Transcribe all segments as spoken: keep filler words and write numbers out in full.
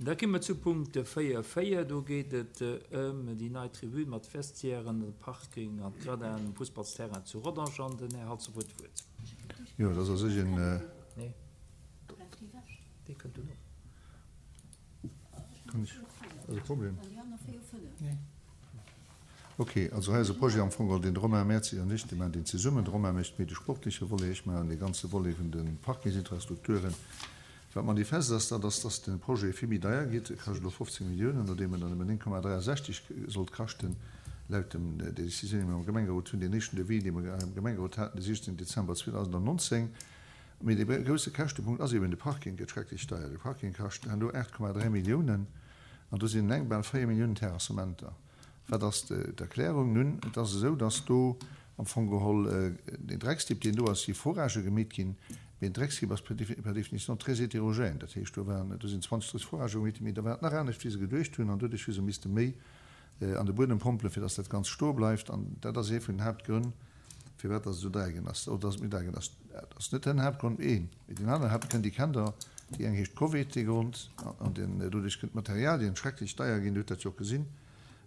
Da komme mer zu Punkt véier véier. Do geet et ëm déi nei Tribün mat Vestiairen, de Parking an d'Gradinen um Fussballsterrain zu Rodange. An den Här Halsdorf huet d'Wuert. Jo, dat ass a sech en. Nee, dee kënnt duerno. Kann ech? Ass e Problem? Ok, also hei ass e Projet am Fong geholl, deen de Romain Merzi an ech, déi maachen deen zesummen. De Romain mécht méi de sportleche Volet, ech maachen dee ganze Volet vun de Parkingsinfrastrukturen. Wat manifest ass, dat ass, dass de Projet vill méi deier gétt. E kascht elo fofzéng Milliounen, nodeem en dann nëmmen néng Komma dräiasechzeg sollt kaschten, laut dem der Décisioun, déi mer am Gemengerot hunn, deen éischten Devis, dee mer am Gemengerot haten, de siechzéngten Dezember zweedausendnonzéng. Mee dee grousse Käschtepunkt ass eben, de Parking gëtt schrecklech deier. De Parking kascht herno aacht Komma dräi Milliounen an do sinn eleng bal véier Milliounen Terrassementer. Wat ass d'Erklärung? Nun, et ass esou, dass do am Fong geholl deen Dreckstipp, deen do ass, si Foragë gemeet ginn, mee en Dreckstipp ass per définition très hétérogène. Dat heescht, do waren, do sinn zwanzeg, drësseg Foragë gemeet ginn, mee da war et nach anescht, wéi se geduecht hunn, an doduerch hu se misste méi an de Buedem pompelen, fir dass dat Ganzt stoe bleift. An dat ass ee vun den Haaptgrënn, firwat dass et esou deier ginn ass, oder dass et méi deier ginn ass. Dat ass net den Haaptgrond, een, mee deen aneren Haaptgrënn, déi kennt Der, déi eng heescht Covid, dee Grond, an deen, doduerch kënnt d'Materialien schrecklech deier ginn, Dir hutt dat jo och gesinn,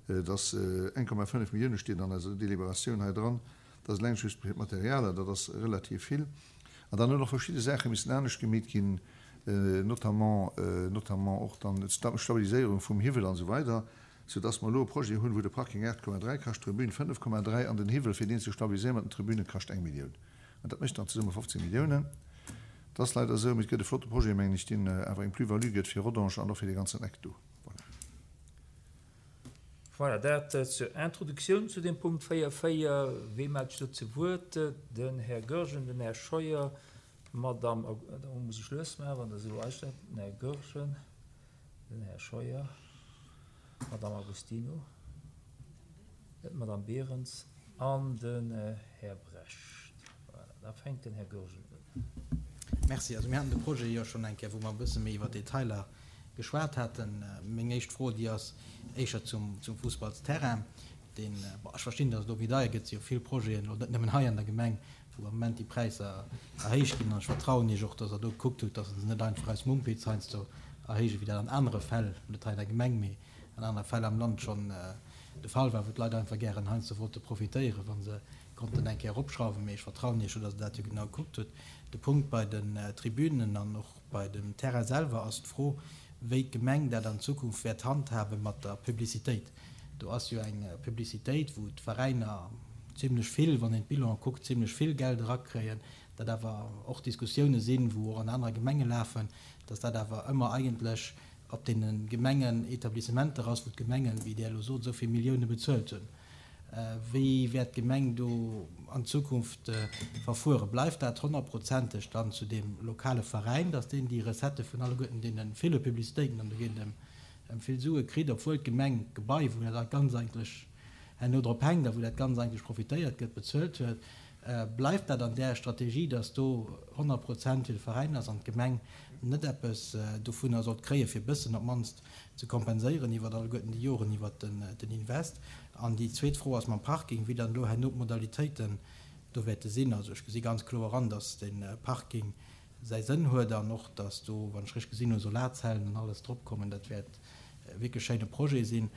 dass eng Komma fënnef Millioune steet an eiser Deliberatioun hei dran, dat ass eleng just fir d'Materialer, dat ass relativ vill. An dann hunn och verschidde Saache missen anescht gemeet ginn, notamment, notamment och dann d'Stabiliséierung vum Hiwwel an esou weider, soudass mer elo e Projet hunn, wou de Parking aacht Komma dräi kascht, d'Tribün fënnef Komma dräi an den Hiwwel, fir deen ze stabiliséieren mat den Tribünen, kascht eng Millioun. An dat mécht dann zesumme fofzéng Milliounen. Dat ass leider esou, mee et gëtt e flotte Projet, mengen ech, deen awer eng Plus-value gëtt fir Rodange an och fir dee ganzen Eck do. Voilà. Voilà, dat zur Introduktioun zu deem Punkt véier véier. Wee mellt sech do zu Wuert? Den Här Goergen, den Här Scheuer, d'Madame, da muss ech lues maachen, wann Der esou astellt, den Här Goergen, den Här Scheuer, d'Madame Agostino, d'Madame Berens an den Här Brecht. Voilà, da fänkt den Här Goergen un. Merci. Also mir haten de Projet jo schonn eng Kéier, wou mer e bësse méi iwwer Detailer geschwat haten. Meng éischt Fro, déi ass éischer zum Fussballsterrain, deen, bon, ech verstinn, datt et elo méi deier gëtt, et si jo vill Projeten, elo net nëmmen hei an der Gemeng, wou am Moment déi Präisser erhéicht ginn. An ech vertrauen Iech och, datt Der do gekuckt hutt, datt se se net einfach aus Mumpitz heiansdo erhéijen, wéi dat an anere Fäll, net hei an der Gemeng, mee an anere Fäll am Land schonn de Fall war, wou d'Leit einfach gären heiansdo wollte profitéieren, wa se konnten eng Kéier eropschrauwen. Mee ech vertrauen Iech jo, datt Der dat jo genau gekuckt hutt. De Punkt bei den Tribünen an och bei dem Terrain selwer ass d'Fro, wéi d'Gemeng dat an Zukunft wäert handhabe mat der Publicitéit. Do ass jo eng Publicitéit, wou d'Veräiner zimlech vill, wann een d'Bilanen kuckt, zimlech vill Geld erakréien, dat awer och Diskussioune sinn, wou och an anere Gemenge lafen, dass dat awer ëmmer eigentlech op deene Gemengenetablissementer ass, wou d'Gemengen, wéi Der elo sot, esou vill Millioune bezuelt hunn. Wéi wäert d'Gemeng do an Zukunft verfueren? Bleift dat honnertprozenteg dann zu deem lokale Veräin, dass deen déi Recettë vun alleguerten deene ville Publicitéiten, an do geet et ëm vill Sue, kritt, obwuel d'Gemeng d'Gebai, wou dat Ganz eigentlech herno drop hänkt a wou dat Ganz eigentlech profitéiert gëtt, bezuelt huet? Bleift dat an där Strategie, dass do honnert Prozent fir de Veräin ass an d'Gemeng net eppes dovunner sollt kréien, fir e bëssen op d'mannst ze kompenséieren iwwer alleguerten déi Joren iwwer den Invest? An déi zweet Fro ass mam Parking, wéi dann elo herno d'Modalitéiten do wäerte sinn. Also ech gesi ganz kloer an, dass de Parking säi Sënn huet an och, dass do, wann ech richteg gesinn hunn, Solarzellen an alles dropkommen. Dat wäert e wierklech schéine Projet sinn.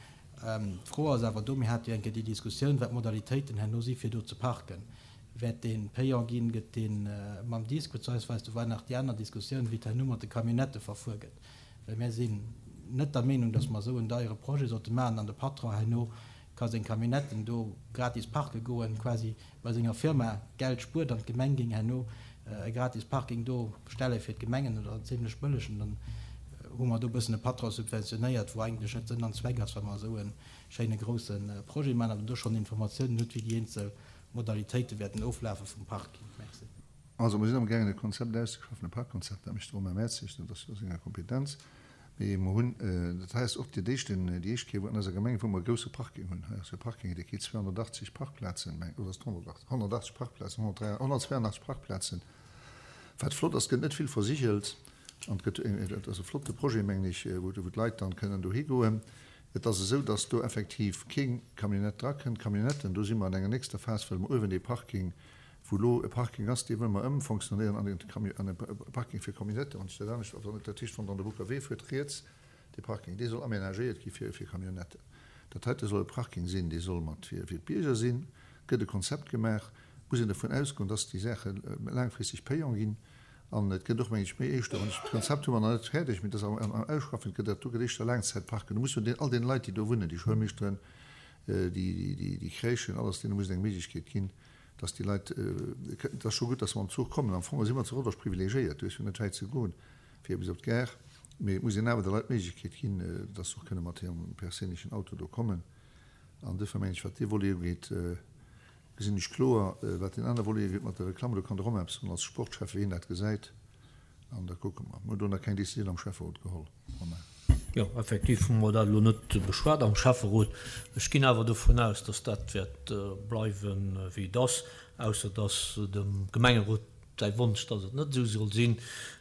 D'Fro ass awer do, mir hate jo eng Kéier déi Diskussioun, wat d'Modalitéiten herno si fir do ze parken. Wäert dee payant ginn? Gëtt dee mam Disque? Beziehungsweise do war nach déi aner Diskussioun, wéi et herno mat de Camionnettë verfuer gëtt. Well mir sinn net der Meenung, dass mer esou en deiere Projet sollte maachen an de Patron herno ka seng Camionnetten do gratis parke goen, quasi bei senger Firma Geld spuert an d'Gemeng géing herno e gratis Parking do stelle fir d'Gemengen oder en zimlech bëllegen. Dann hu mer do e bëssen e Patron subventionéiert, wou eigentlech net Sënn an Zweck ass, wa mer esou e schéine grouse Projet maachen, awer do schonn Informatiounen hutt, wéi déi eenzel Modalitéite wäerten oflafe vum Parking. Merci. Also mer sinn amgaangen e Konzept auszeschaffen, e Parkkonzept, dat mécht de Romain Mertzig, dat ass jo a senger Kompetenz. Mee mer hunn, dat hei ass och déi éischten, déi éischt Kéier wou an eiser Gemeng, wou mer e grousse Parking hunn. Hei ass e Parking, dee kritt zweehonnertachtzeg Parkplazen, meng, oder ass et honnertachtzeg? Honnertachtzeg Parkplazen, honnertdräi, honnertzweianachtzeg Parkplazen. Wat flott ass, et gëtt net vill versigelt an et gëtt, et ass e flotte Projet, mengen ech, wou d'Leit dann kënnen dohi goen. Et ass esou, dass do effektiv keng Camionnette drakënnt. D'Camionnetten, do si mer an enger nächster Phas, wëlle mer uewen dee Parking, wou elo e Parking ass, dee wëlle mer ëmfonctionnéieren an e Parking fir Camionnetten. Wann ech dat anescht, dat heescht, wann Der an de Bouckerwee fuert, riets, Dee Parking, dee soll amenagéiert gi fir, fir Camionnetten. Dat heite soll e Parking sinn, dee soll mat fir, fir d'Bierger sinn. Gëtt e Konzept gemaach, muss een dovun ausgoen, dass déi Saache laangfristeg payant ginn. An et gëtt och, meng ech, méi éischter, an d'Konzept hu mer nach net fäerdeg, mee dat ass am, am Ausschaffen, et gëtt dat do gëtt éischter Laangzäitparken. Do muss jo den, all deene Leit, déi do wunnen, déi Schoulmeeschteren, déi, déi, déi, déi Crèchen, alles, deene muss et eng Méiglechkeet ginn, dass déi Leit, et ass scho gutt, dass se mam Zuch kommen. Am Fong si mer zu Rodange privilegiéiert, do ass jo net wäit ze goen fir bis op d'Gare, mee et muss een awer de Leit d'Méiglechkeet ginn, dass se och kënne mat hirem perséinlechen Auto do kommen. An duerfir mengen ech, wat dee Volet ugeet, gesinn ech kloer. Wat deen anere Volet ugeet mat der Reklamm, do kann de Romain eppes soen als Sportschef, wéi hien dat gesäit. An da kucke mer. Mir hunn do nach keng Décisioun am Schäfferot geholl, Romain. Jo, effektiv hu mer dat elo net beschwat am Schäfferot. Ech ginn awer dovun aus, dass dat wäert bleiwen, wéi et ass, ausser dass dem Gemengerot säi Wonsch, dass et net esou soll sinn.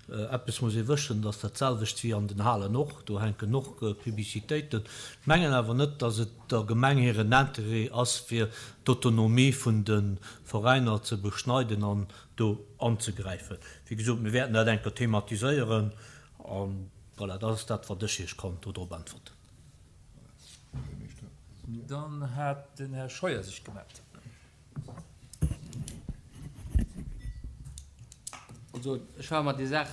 Eppes muss ee wëschen, dass dat selwecht wéi an den Halen och, do hänken och Publicitéiten. Ech mengen awer net, dass et der Gemeng hiren Intérêt ass, fir d'Autonomie vun de Veräiner ze beschneiden an do anzegräifen. Wéi gesot, mir wäerten dat eng Kéier thematiséieren an voilà, dat ass dat, wat ech Iech kann dodrop äntwerten. Dann hat den Här Scheuer sech gemellt. Also, ech war mer déi Saach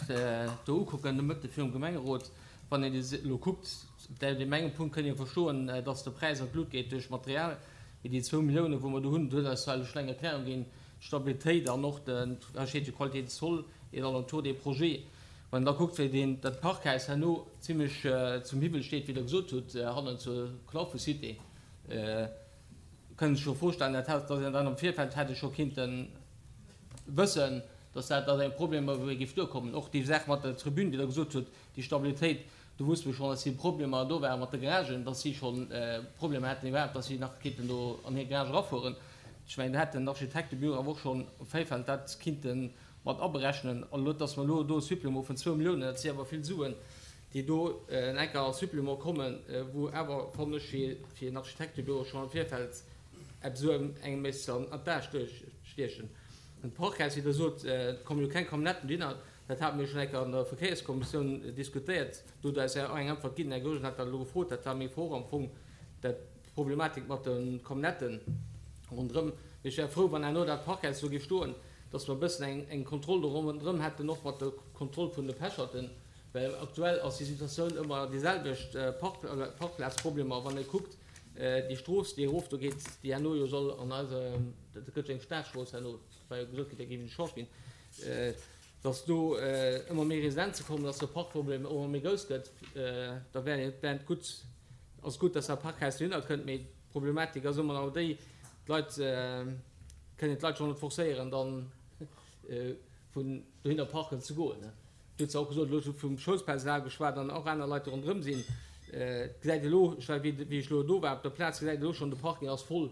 do ukucken de Mëtte virum Gemengerot. Wann een déi elo kuckt, deen engem Punkt kënnt ee verstoen, dass de Präis an d'Lut geet duerch Material, mee déi zwou Milliounen, wou mer do hunn, do huet eis zwar elo schonn eng Erklärung ginn, d'Stabilitéit an och de, hei steet jo Qualité de sol et alentour des projets. Wann een da kuckt, wéi deen, dat Parkhaus herno zimlech zum Hiwwel steet, wéi Der gesot hutt, hannen zur Claufe-Cité, kënnt ech scho vorstellen, dat hätt, dass een dann am Virfeld hätt ee scho kinnte wëssen, dass dat dass eng Problemer géif duerkommen. Och déi Saach mat der Tribün, déi Der gesot hutt, déi Stabilitéit, do wusste mer schonn, dass si Problemer do ware mat de Garagen, dass si scho Problemer hätten iwwerhaapt, dass si nach kinnten do an hir Garage erafueren. Ech mengen, do hätt den Architektebüro awer och schonn am Virfeld dat kinnte mat aberechnen. An elo, dass mer elo do e Supplément vun zwou Milliounen, dat si awer vill Suen, déi do en enker als Supplément kommen, wou awer, fannen ech, fir fir en Architektebüro schonn am Virfeld eppes esou engem misst an d'A stiechen. Den Parkhaus, wéi Der sot, et kommen jo keng Camionnetten dohinner, dat hate mir jo schonn eng Kéier an der Verkéierskommissioun diskutéiert. Do hutt Der eis jo och eng Äntwert ginn. Den Här Goergen hat dat elo gefrot, dat war meng Fro och am Fong, dat d'Problematik mat de Camionnetten ronderëm. Mee ech wär frou, wann herno dat Parkhaus do géif stoen, dass mer e bëssen eng, eng Kontroll do ronderëm hätten, och mat der Kontroll vun de Pecherten, well aktuell ass déi Situatioun ëmmer déi selwecht, Park, Parkplazproblemer. Wann ee kuckt, déi Strooss, déi erof do geet, déi herno jo soll an eise, dat gëtt jo eng Staatsstrooss herno, war jo gesot ginn, dat géif eng Chance ginn, dass do ëmmer méi Residenze kommen, dass de Parkproblem och ëmmer méi grouss gëtt, da wär et, wär et gutt, ass gutt, dass dat Parkhaus dohinner kënnt, mee d'Problematik ass ëmmer nach déi, d'Leit kënnen d'Leit schonn net forcéieren, dann vun dohinner parken ze goen. Du hues jo och gesot, elo hues du vum Schoulspersonal geschwat an och aner Leit, déi ronderëm sinn. Et gesäit elo, ech war, wéi ech elo do war op der Plaz, gesäit elo schonn, de Parking ass voll,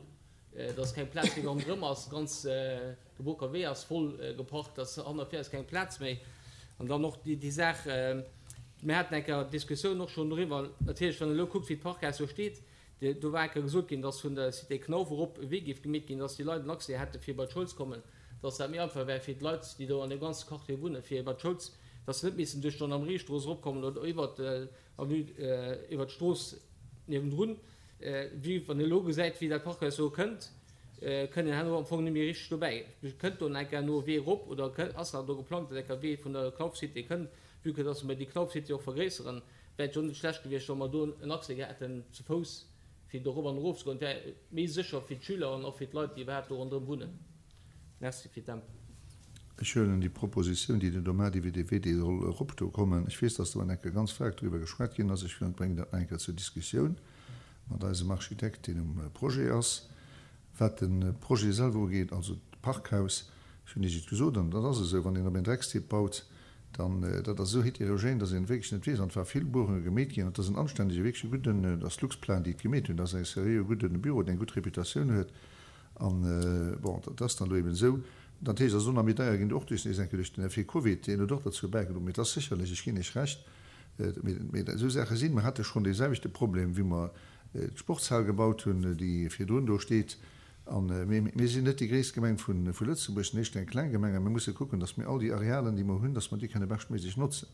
dass keng Plaz méi ronderëm ass, ganz de Booker Wee ass voll geparkt, dass hanner vir ass keng Plaz méi. An dann och déi Saach, mir haten eng Kéier d'Diskussioun och schonn doriwwer, natierlech, wann een elo kuckt, wéi d'Parkhaus do steet, Do war eng Kéier gesot ginn, dass vun der Cité Knauf erop e Wee géif gemeet ginn, dass déi Leit en Accès hätte fir bei d'Schoul ze kommen, dass dat méi einfach wär fir d'Leit, déi do an deem ganze Quartier wunnen, fir bei d'Schoul, dass se net missten duerch d'Gendarmeriestrooss eropkommen oder iwwert d'Avenue, iwwert d'Strooss niewendrun. Wéi wann een elo gesäit, wéi dat Parkhaus do kënnt, kënnt een herno am Fong net méi richteg dobäi. Kënnt do eng Kéier herno e Wee erop oder ass nach do geplangt, dass eng Kéier e Wee vun der Knauf Cité kënnt, vue que dass mer déi Knauf Cité och vergréisseren? Wär et jo net schlecht gewiescht, wa mer do en Accès hätten ze Fouss, fir do erop an erof ze goen. Et wär méi sécher fir d'Schüler an och fir d'Leit, déi iwwerhaapt do ronderëm wunnen. Merci fir d'Äntwert. Ech huelen déi Propositioun, déi den Domat iwwer dee Wee, dee soll erop do kommen. Ech weess, dass do eng Kéier ganz staark driwwer geschwat ginn ass. Ech bréngen dat nach eng Kéier zur Diskussioun mat eisem Architekt, deen um Projet ass. Wat de Projet selwer ugeet, also d'Parkhaus, ech hunn Iech et gesot, an dat ass esou, wann een op een Dreckstipp baut, dann, dat ass esou heterogène, dass een wierklech net weess, an et war vill Buerunge gemeet ginn, an et ass en anständege, wierklech e gudden, dat ass Luxplan, déi et gemeet hunn, dat ass e seriöe gudde Büro, deen eng gutt Reputatioun huet, an, bon, dat ass dann elo eben esou. Dat heescht, ass och nach méi deier ginn, och duerch nees eng Kéier duerch den Effet Covid, deen huet och derzou bäigedroen, mee et ass sécherlech, ech ginn Iech Recht, mee esou Saache sinn, mer hate schonn deeselwechte Problem, wéi mer d'Sportshal gebaut hunn, déi virdrun do steet. A mir sinn net déi gréisst Gemeng vu Lëtzebuerg, sinn éischter eng kleng Gemeng a mir musse kucken, datt mir all déi Arealen, déi mer hunn, datt mer déi kënne beschtméiglech notzen.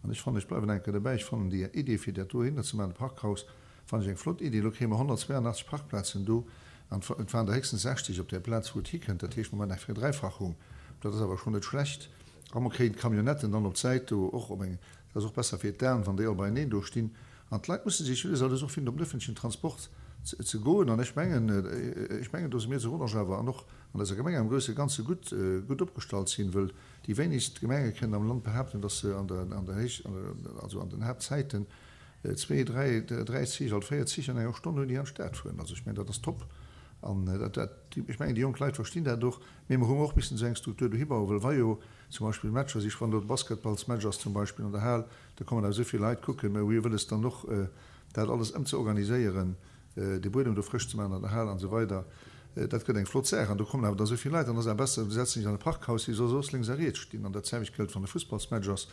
An ech fannen, ech bleiwen eng Kéier dobäi, ech fannen déi Idee fir dat dohinner ze maachen, de Parkhaus, fannen ech eng flott Idee. Elo kréie mer honnertzweianachtzeg Parkplazen do an et waren der héchstens sechzeg op där Plaz wou et hikënnt. Dat heescht, mer maachen eng Verdräifachung. Dat ass awer schonn net schlecht. A mer kréien d'Camionnetten dann op d'Säit do och op eng, dat ass och besser fir d'Aen, wann déi all beieneen do stinn. An d'Leit musse sech, wéi gesot, och finden, op den öffentlichen Transport ze goen. An ech mengen, ech mengen, do si mir zu Rodange awer an och an eiser Gemeng am grousse Ganze gutt, gutt opgestallt sinn, wëll déi wéinegst Gemenge kënnen am Land behaapten, dass se an der, an der Héich, also an den Haaptzäiten zwee, dräi, dräi Zich, alt véier Zich an enger Stonn hunn, déi an d'Stad fueren. Also ech mengen, dat ass top. An dat, dat, ech mengen, déi jonk Leit verstinn dat och. Mee mer hunn och missen esou eng Struktur dohi bauen, well wa jo zum Beispill Matcher si, wann do de Basketballsmatch ass zum Beispill an der Hal, da kommen awer esou vill Leit kucken. Mä hu jo wëlles dann och dat alles ëmzeorganiséieren, de Buedem do frësch ze maachen an der Hal an esou weider. Dat gëtt eng flott Saach. An do kommen awer da esou vill Leit, dann ass awer besser, du setz dech an e Parkhaus, wéi soll soss lénks a riets stinn. An dat selwecht gëllt, wann e Fussballsmatch ass,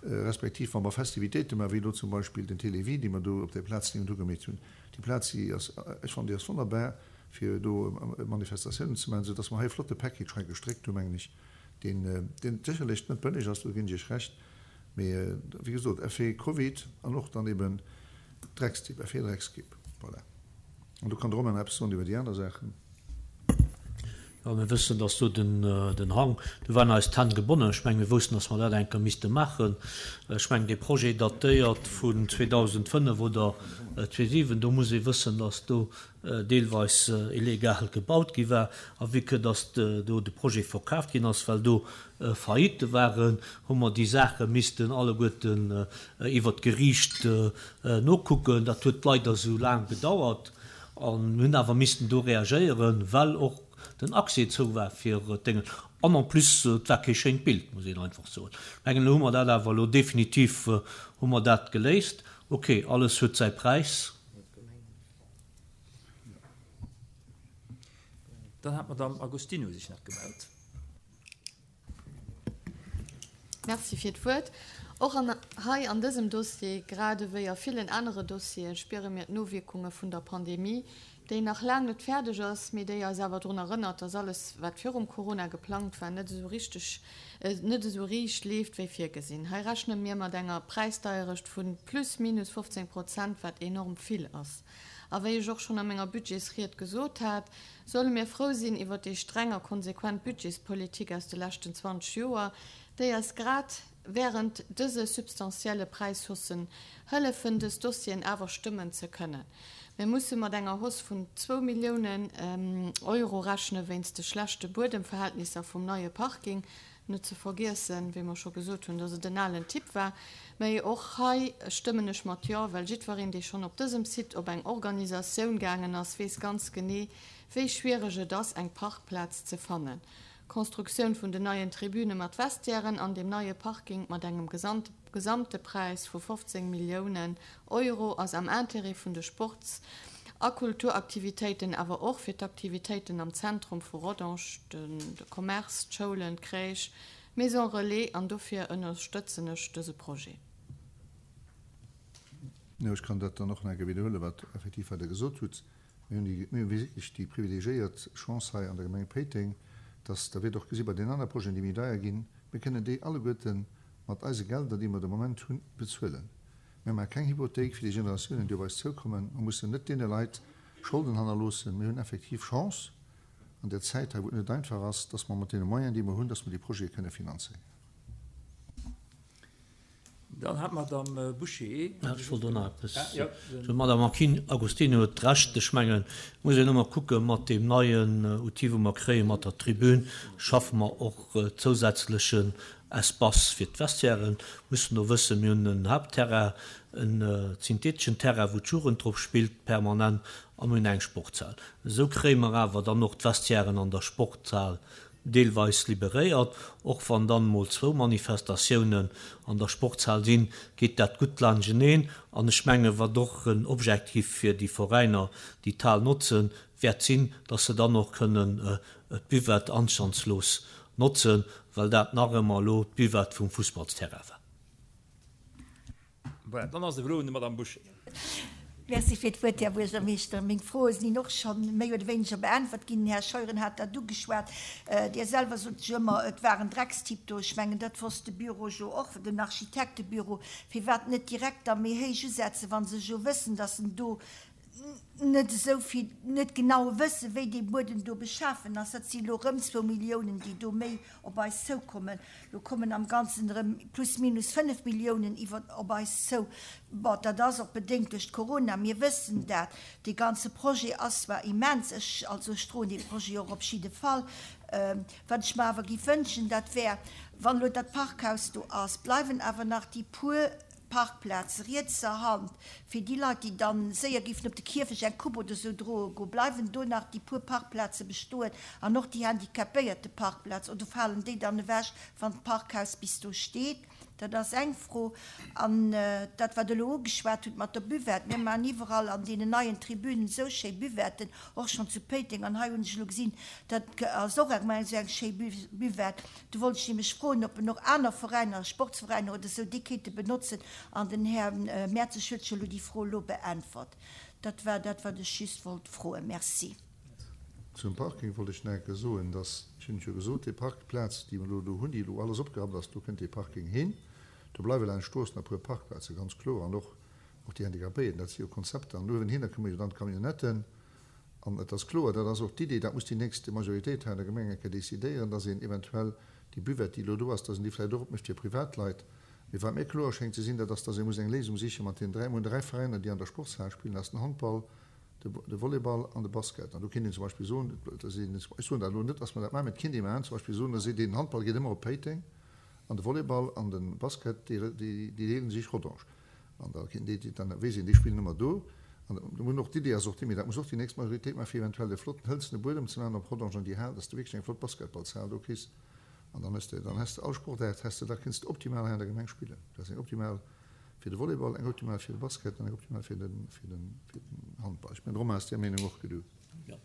respektiv wa mer Festivitéite maachen, wéi elo zum Beispill den Télévie, dee mer do op där Plaz niewent ugemeet hunn. Déi Plaz, déi ass, ech fannen, déi ass wonnerbar, fir do Manifestatiounen ze maachen, soudass mer hei e flotte Package hei gestréckt hunn, mengen ech, deen, deen sécherlech net bëlleg ass, do ginn ech Iech Recht, mee wéi gesot, Effet Covid an och dann eben Dreckstipp, Effet Dreckskipp. Voilà. An do kann de Romain nach eppes soen iwwer déi aner Saachen. Jo, mir wëssen, dass do den Hang, do waren eis d'Hänn gebonnen. Ech mengen, mir woussten, dass mer dat eng Kéier misste maachen. Ech mengen, dee Projet datéiert vun zweedausendfënnef oder zweesiwen. Do muss ee wëssen, dass do deelweis illegal gebaut gi war. A vue que dass do de Projet verkaaft ginn ass, well do Faillite waren, hu mer déi Saache missten alleguerten iwwert d'Geriicht nokucken. Dat huet leider esou laang gedauert. A mir hunn awer missten do reagéieren, well och den Accès zou war fir d'Déngen. An en plus, et war kee schéint Bild, muss een einfach soen. Ech mengen, elo hu mer dat awer elo definitiv hu mer dat geléist. Okay, alles huet säi Präis. Dann hat d'Madame Agostino sech nach gemellt. Merci fir d'Wuert. Och an hei an dësem Dossier, grad ewéi a villen anere Dossiere spiere mir d'Nowierkunge vun der Pandemie, déi nach laang net fäerdeg ass, mee déi eis awer drun erënnert, dass alles, wat virum Corona geplangt war, net esou richteg, net esou riicht leeft wéi virgesinn. Hei rechne mir mat enger Präisdeierecht vu plus minus fofzéng Prozent, wat enorm vill ass. A wéi ech och schonn a menger Budgetsried gesot hat, solle mir frou sinn iwwert déi streng a konsequent Budgetspolitik aus de leschten zwanzeg Joer, déi eis grad während dëse substantielle Präishaussen hëllefen, dës Dossieren awer stëmmen ze kënnen. Mir musse mat enger Hausse vun zwou Milliounen Euro rechne wéinst de schlechte Buedemverhältnisser vum neie Parking. Net ze vergiessen, wéi mer scho gesot hunn, dass et en alen Tipp war. Mä och hei stëmmen ech mat Jo, well jiddwereen, dee schonn op dësem Site op eng Organisatioun gaangen ass, weess ganz genee, wéi schwiereg et ass, eng Parkplaz ze fannen. D'Konstruktioun vun den neien Tribüne mat Vestiairen an dem neie Parking mat engem gesamte Präis vu fofzéng Milliounen Euro ass am Intérêt vun de Sports a Kulturaktivitéiten, awer och fir d'Aktivitéiten am Zentrum vu Rodange, de Commerce, d'Schoulen, d'Crèche, d'Maison Relais, an dofir ënnerstëtzen ech dëse Projet. Jo, ech kann dat dann och nach eng Kéier widderhuelen, wat effektiv wat Der gesot hutt. Mir hunn déi, mir hu wierklech déi privilegiéiert Chance hei an der Gemeng Péiteng, dass, da wiert och gesi bei deenen anere Projeten, déi méi deier ginn, mir kënnen déi alleguerte mat eise Gelder, déi mer de Moment hunn, bezuelen. Mir maache keng Hypothéik fir déi Generatiounen, déi op eis zoukommen. Mer mussen net deene Leit Scholden hannerloossen. Mir hunn effektiv Chance an där Zäit hei, wou et net einfach ass, dass mer mat deene Moyenen, déi mer hunn, dass mer déi Projete kënne finanzéieren. Dann hat d'Madame Bouché. Ech wollt och nach eppes soen. D'Madame Agostino huet Recht. Ech mengen, et muss een ëmmer kucken, mat deem neien Outil, wou mer kréien, mat der Tribün, schaffe mer och zousätzlechen Espace fir d'Vestiairen. Mussen och wëssen, mir hunn en Haaptterrain, en syntheteschen Terrain, wou d'Jugend drop spillt permanent, a mir hunn eng Sportshal. Esou kréie mer awer dann och d'Vestiairen an der Sportshal deelweis liberéiert. Och wann dann emol zwou Manifestatiounen an der Sportshal sinn, geet dat gutt laanschteneen. An ech mengen, wat och en Objektiv fir déi Veräiner, déi d'Hal notzen, wäert sinn, dass se dann och kënnen d'Buvette anstandslos notzen, well dat nach ëmmer elo d'Buvette vum Fussballsterrain war. Voilà, dann ass et elo un der Madame Bouché. Merci fir d'Wuert, Här Buergermeeschter. Meng Froe sinn och schonn méi oder wéineger beäntwert ginn. Den Här Scheuren hat dat ugeschwat. Dir selwer sot jo ëmmer, et war en Dreckstipp do. Ech mengen, dat wosst de Büro jo och, den Architektebüro. Firwat net direkt da méi héich usetzen, wa se jo wëssen, dass en do net esou vill, net genau wëssen, wéi dee Buedem do beschafen ass. Dat si elo erëm zwou Milliounen, déi do méi op eis zoukommen. Lo kommen am Ganzen erëm plus minus fënnef Milliounen iwwer op eis zou. Bon, dat ass och bedéngt duerch d'Corona, mir wëssen dat. Dee ganze Projet ass zwar immens, ech, also ech droen dee Projet och op jidde Fall. Wat ech mer awer géif wënschen, dat wär, wann elo dat Parkhaus do ass, bleiwen awer nach déi puer Parkplaz rietser Hand, fir déi Leit, déi dann séier géifen op de Kierfecht eng Coupe oder sou droe goen, bleiwen do nach déi puer Parkplaze bestoen an och déi Handicapéierteparkplaz, oder falen déi dann ewech, wann d'Parkhaus bis do steet? Dat ass eng Fro. An dat, wat Der elo ugeschwat hutt mat der Buvette, mir maachen iwwerall an deenen neien Tribünen esou schéi Buvetten, och schonn zu Péiteng, an hei hunn ech elo gesinn, dat ass och eng esou eng schéi Buvette. Do wollt ech nämlech froen, ob en och aner Veräiner, Sportsveräiner oder esou, déi kéinte benotzen. An den Här Mertzig huet jo elo déi Fro elo beäntwert. Dat war dat, wat ech just wollt froen. Merci. Zum Parking wollt ech nach eng Kéier soen, dass, ech hunn et jo gesot, déi Parkplaz, déi mer elo do hunn, déi elo alles opgerappt ass, do kënnt dee Parking hin. Do bleiwe laanscht d'Strooss nach e puer Parkplazen, ganz kloer, an och och déi Handicapéierten. Dat si jo Konzepter. An uewenhinner komme jo dann d'Camionnetten. An et ass kloer, dat ass och d'Idee, dat muss déi nächst Majoritéit hei an der Gemeng eng Kéier decidéieren, dass een eventuell déi Buvette, déi elo do ass, dass een déi vläicht och opmécht fir Privatleit. Mee wat mir kloer schéngt ze sinn, dat ass, dass ee muss eng Léisung siche mat deenen dräi, mir hunn dräi Veräiner, déi an der Sportshal spillen, dat ass den Handball, de Volleyball an de Basket. An do kéint een zum Beispill soen, dass een, ech soen dat elo net, dass mer dat maachen, mee et kéint ee maachen, zum Beispill soen, da seet een, den Handball geet ëmmer op Péiteng an de Volleyball an de Basket, déi, déi deele sech Rodange. An da kéint déi, dann weess een, déi spillen ëmmer do. An do hunn och, d'Idee ass och déi, mee dat muss och déi nächst Majoritéit maachen, fir eventuell e flotten hëlzene Buedem ze maachen op Rodange an déi Hal, dass de wierklech eng flott Basketballshal do kriss. An dann hues de, dann häss de all Sportaart häss de, da kënns de optimal hei an der Gemeng spillen. Dat ass eng optimal fir de Volleyball, eng optimal fir de Basket an eng optimal fir den, fir den, fir den Handball. Ech mengen, de Romain ass där Meenung och, gell du? Jo.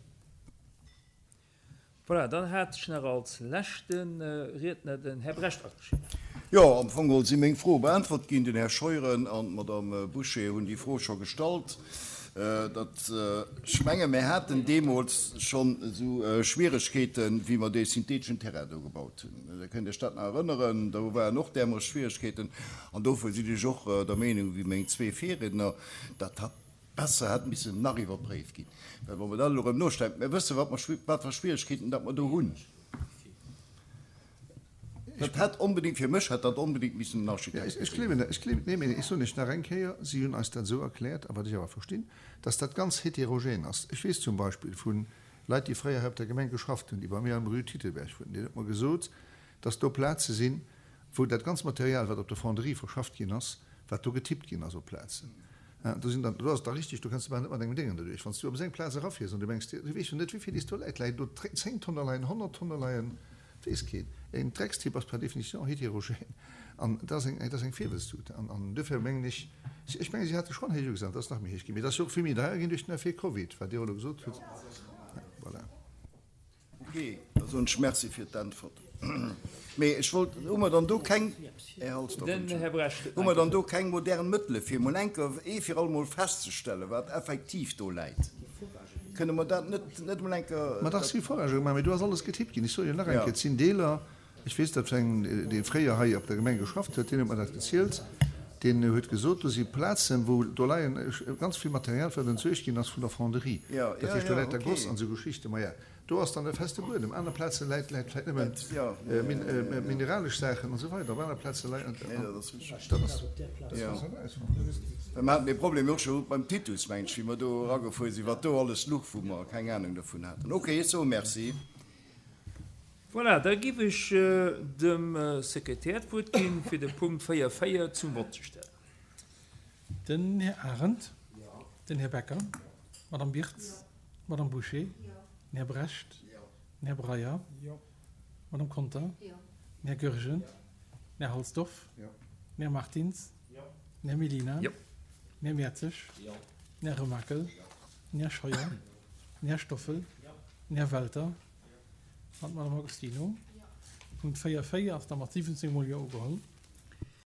Voilà, dann hat ech nach als leschte Riedner den Här Brecht ageschriwwen. Jo, am Fong geholl si meng Froe beäntwert ginn. Den Här Scheuren an d'Madame Bouché hunn déi Fro scho gestallt. Dat, ech menge mir haten deemools schonn esou Schwieregkeeten, wéi mer dee syntheteschen Terrain do gebaut hunn. Dir kënnt Iech dat nach erënneren, do waren och därmools Schwieregkeeten. An dofir sinn ech och der Meenung wéi meng zwee Virriedner, datt dat besser hätt missen nach iwwerpréift ginn. Well wa mer dat elo erëm nostellen, mir wësse wat mer, wat fir Schwieregkeeten dat mer do hunn. Dat hätt onbedéngt, fir mech hätt dat onbedéngt missen en Architekt Ech gleewen dat, ech gleewen, nee, mee ech soen lech nach eng Kéier, si hunn eis dat esou erkläert, a wat ech awer verstinn, dass dat ganz heterogen ass. Ech weess zum Beispill vu Leit, déi fréier hei op der Gemeng geschafft hunn, déi bei mir am Rue Titelberg wunnen, deen huet mer gesot, dass do Plaze sinn, wou dat ganz Material, wat op der Fonderie verschafft ginn ass, wat do getippt ginn ass op Plazen, do sinn dann, do ass et da richtig, do kënns de bal net mat engem Déngen derduerch. Wann s du op esou eng Plaz erafiers an du mengs dir, du weess jo net, wéi vill is do läit, läit do zéng Tonne leien, honnert Tonne leien, weess keen. En Dreckstipp ass per définition heterogen an dat ass eng, dat ass eng Virwëlztut. An, an duerfir mengen ech, ech mengen, si hate schonn héich ugesat, et ass nach méi héich ginn, mee et ass jo och vill méi deier ginn duerch den Effet Covid, wat Dir och elo gesot hutt. Voilà. Ok, da soen ech Merci fir d'Äntwert. Mee ech wollt, hu mer dann do keng, Här Halsdorf, Den Här Brecht huet hu nach mer eng dann do Kéier. keng modern Mëttele fir emol eng Kéier ee fir alle Mol festzestellen, wat effektiv do läit? Kënne mer dat net, net emol eng Kéier, Ma dach, dat. si Foragë gemaach, mee do ass alles getippt ginn. Ech soe jo nach eng Ja. Kéier, et sinn Deeler, ech weess dat vun engem, dee fréier hei op der Gemeng geschafft huet, deen huet mer dat gezielt, deen huet gesot, do si Plazen, wou do leien ganz vill Material, wat entsuergt ginn ass vun der Fonderie. Ja, Dat ja, heescht, do ja, läit da Goss okay. an esou Geschichten. Maja, do ass dann e feste Buedem. Aner Plaze läit, läit vläicht nëmmen mineralesch Saachen an esou weider. Op aner Plaze läit, Nee, dat ass richtig. dat ass. Jo. Well mer haten dee Problem jo och scho beim Titus, mengen ech, wéi mer do eragefuer sinn, wat do alles luch, wou mer keng Anung dovun haten. Okay, ech soe Merci. Voilà, da giff ech dem Sekretär d'Wuert ginn, fir de Punkt véier véier zum Vott ze stellen. Den Här Arendt. Den Här Becker. D'Madame Birtz. D'Madame Bouché. Den Här Brecht. Den Här Breyer. D'Madame Conter. Den Här Goergen. Den Här Halsdorf. Den Här Martins. Den Här Mellina. Den Här Mertzig. Den Här Remakel. Den Här Scheuer. Den Här Stoffel. Den Här Welter an d'Madame Agostino. Punkt véier véier ass da mat siwwenzéng Mol Jo ugeholl.